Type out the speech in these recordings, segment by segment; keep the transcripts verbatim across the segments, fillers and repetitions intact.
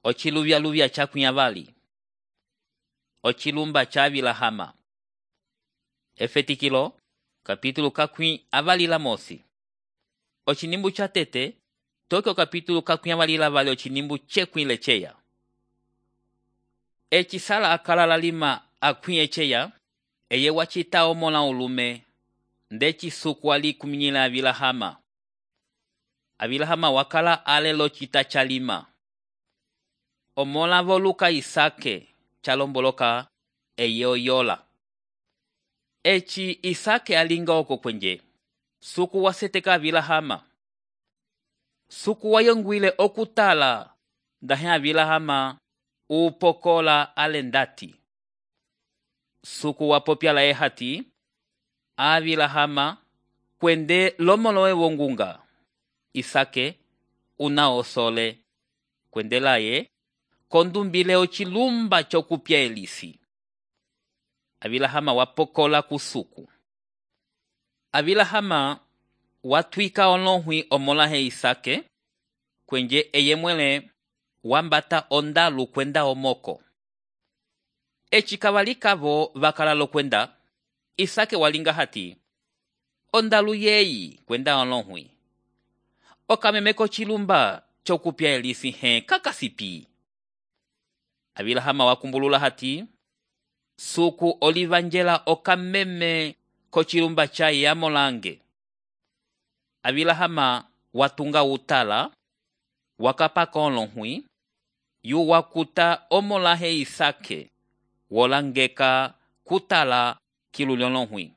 Ochiluvya-luvya chakwi avali. Ochilumba cha Abilahama. Efetikilo, kapítulo kakwi avali la mosi. Ochinimbu cha tete, toke o kapítulo kakwi avali la vali ochinimbu chekwi lecheya. Echisala akala la lima akwi echeya, eye wachita omola ulume, ndechi suku ali kuminyila Abilahama. Abilahama wakala ale lo chita cha lima. Omola voluka Isake, chalomboloka eye oyola. Echi Isake alinga oko kwenje. Suku waseteka Abilahama. Suku wayongwile okutala, ndahe Abilahama upokola alendati. Suku wapopya la ehati, Abilahama kwende lomolowe wongunga. Isake una osole kwende laye kondumbile ochilumba chokupya elisi. Abilahama wapokola kusuku. Abilahama watwika olohwi omolahe Isake kwenje eye mwele wambata ondalu kwenda omoko. Echi kawalikavo vakalalo kwenda, Isake walinga hati, ondalu yeyi kwenda olohwi. Okamemeko chilumba chokupya elisi he kakasipi. Abilahama wakumbulula hati, suku olivanjela okameme kochilumba cha yamolange. Abilahama watunga utala, wakapaka olohwi, yu wakuta omolahe Isake, wolangeka kutala kilulolohwi.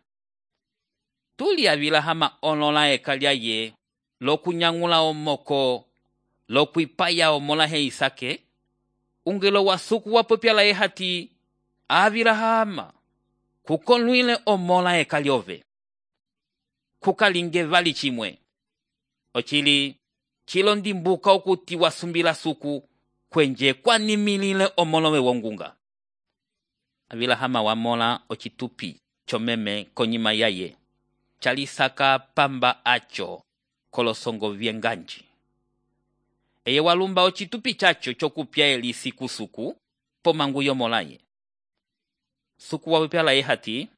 Tuli Abilahama olola ekalia ye, lokunyangula omoko, lokuipaya omolahe Isake, ungelo wasuku wapopya la ehati, Abilahama, kukonluile omola ekaliove. Kukalinge vali chimwe. Ochili, chilo ndimbuka okuti wasumbila suku, kwenje kwa nimilile omolowe wongunga. Abilahama wamola ochitupi, chomeme konyima yaye. Chalisaka pamba acho, kolosongo vienganji. Eye walumba ochitupi chacho chokupya elisi kusuku, pomangu yomolaye. Suku wapopya la ehati,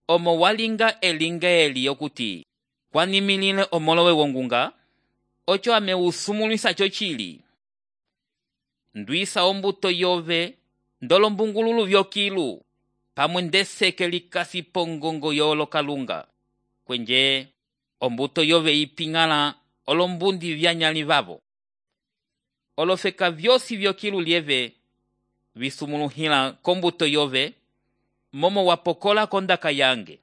omo walinga elinga eli yokuti, kwa nimilile omolowe wongunga, ocho ame usumulisa chochili. Ndwisa ombuto yove, ndolo mbungululu vyokilu, pamwendeseke likasi pongongo yolo kalunga. Kwenje, ombuto yove ipingala olombundi vyanyali vavo. Olofeka vyosi vyokilu lieve, visumuluhila kombuto yove, momo wapokola kondaka yange.